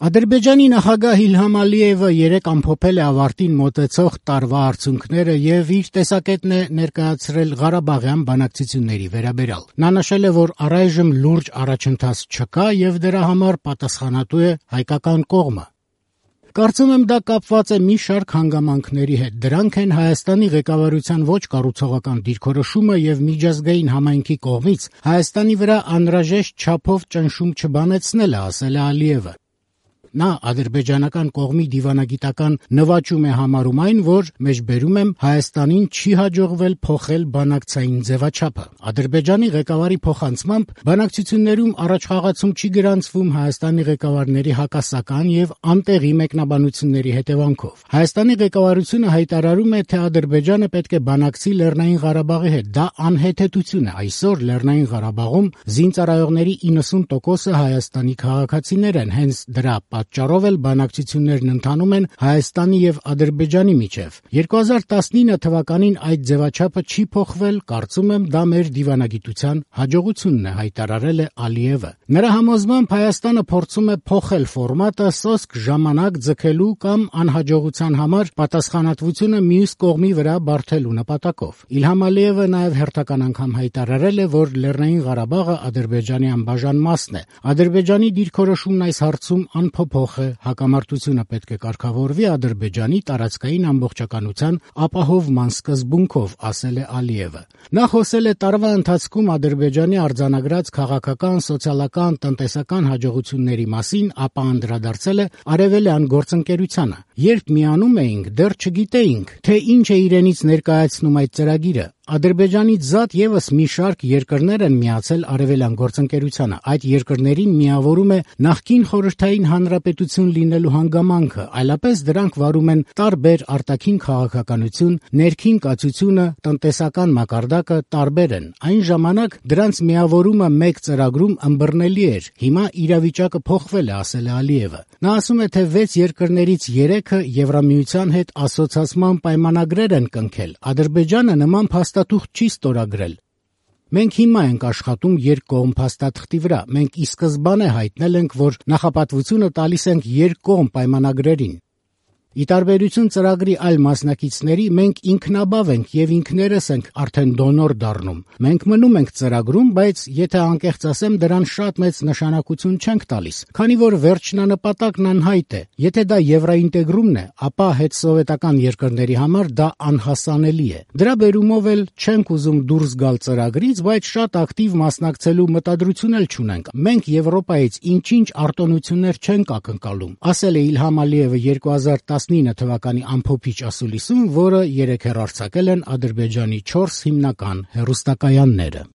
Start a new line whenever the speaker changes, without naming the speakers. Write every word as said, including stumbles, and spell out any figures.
Ադրբեջանի նախագահ Իլհամ Ալիևը երեկ ամփոփել է ավարտին մոտեցող տարվա արդյունքները եւ իր տեսակետն է ներկայացրել Ղարաբաղյան բանակցությունների վերաբերյալ։ Նա նշել է, որ առայժմ լուրջ առաջընթաց չկա եւ դրա համար պատասխանատու է հայկական կողմը։ Կարծում եմ դա կապված է մի շարք հանգամանքների հետ։ Դրանք են Հայաստանի ղեկավարության ոչ կառուցողական դիրքորոշումը եւ միջազգային համայնքի կողմից Հայաստանի վրա անհրաժեշտ չափով ճնշում չբանեցնելը, ասել է Ալիևը։ Նա ադրբեջանական կողմի դիվանագիտական նվաճում է համարում այն, որ մեջբերում եմ Հայաստանին չի հաջողվել փոխել բանակցային ձևաչափը։ Ադրբեջանի ղեկավարի փոխանցմամբ բանակցություններում առաջխաղացում չի գրանցվում Հայաստանի ղեկավարների հակասական եւ անտեղի մեկնաբանությունների հետևանքով։ Հայաստանի ղեկավարությունը հայտարարում է, թե Ադրբեջանը պետք է բանակցի Լեռնային Ղարաբաղի հետ։ Դա անհեթեթություն է։ Այսօր Լեռնային Ղարաբաղում զինծառայողների իննսուն տոկոսը Հայաստանի քաղաքացիներ են, հենց դրա պատճառով էլ բանակցություններն ընթանում են Հայաստանի եւ Ադրբեջանի միջև։ երկու հազար տասնինը թվականին այդ ձևաչափը չի փոխվել, կարծում եմ դա մեր դիվանագիտության հաջողությունն է, հայտարարել է Ալիևը։ Նրա համոզմամբ Հայաստանը փորձում է փոխել ֆորմատը սոսկ ժամանակ ձգելու կամ անհաջողության համար պատասխանատվությունը մյուս կողմի վրա բարթելու նպատակով։ Իլհամ Ալիևը նաեւ հերթական անգամ հայտարարել է, որ Լեռնային Ղարաբաղը Ադրբեջանի անբաժան մասն է։ Ադրբեջանի դիրքորոշումն այս հարցում անփոփոխ է, հակամարտությունը պետք է կարգավորվի Ադրբեջանի տարածքային ամբողջականության ապահովման սկզբունքով, ասել է Ալիևը։ Նա խոսել է տարվա ընթացքում Ադրբեջանի արձանագրած քաղաքական, սոցիալական, տնտեսական հաջողությունների մասին, ապա անդրադարձել է արևելյան գործընկերությանը։ Երբ միանում էինք, դեռ չգիտեինք, թե ինչ է իրենից ներկայացնում այդ ծրագիրը։ Ադրբեջանից զատ եւս մի շարք երկրներ են միացել արևելյան գործընկերությանը։ Այդ երկրներին միավորում է նախկին խորհրդային հանրապետություն լինելու հանգամանքը, այլապես դրանք վարում են տարբեր արտաքին քաղաքականություն, ներքին կացությունը, տնտեսական մակարդակը տարբեր են։ Այն ժամանակ դրանց միավորումը մեկ ծրագրում ըմբռնելի էր։ Հիմա իրավիճակը փոխվել է, ասել է Ալիևը։ Նա ասում է, թե վեց երկրներից երեքը Եվրամիության հետ ասոցացման պայմանագրեր են կնքել։ Ադրբեջանը նման փաստաթուղթ չի ստորագրել։ Մենք հիմա ենք աշխատում երկկողմ փաստաթղթի վրա։ Մենք ի սկզբանե հայտնել ենք, որ նախապատվությունը տալիս ենք երկկողմ պայմանագրերին։ Ի տարբերություն ծրագրի այլ մասնակիցների, մենք ինքնաբավ ենք եւ ինքներս ենք արդեն դոնոր դառնում։ Մենք մնում ենք ծրագրում, բայց եթե անկեղծ ասեմ, դրան շատ մեծ նշանակություն չենք տալիս, քանի որ վերջնանպատակն անհայտ է։ Եթե դա եվրոինտեգրումն է, ապա հետսովետական երկրների համար դա անհասանելի է։ Դրա բերումով էլ չենք ուզում դուրս գալ ծրագրից, բայց շատ ակտիվ մասնակցելու մտադրություն էլ չունենք։ Մենք Եվրոպայից ինչ-ինչ արտոնություններ չենք ակնկալում, ասել է Իլհամ Ալիևը երկու հազար տասնինը թվականի ամփոփիչ ասուլիսում, որը երեկ հեռարձակել են Ադրբեջանի չորս հիմնական հեռուստակայանները։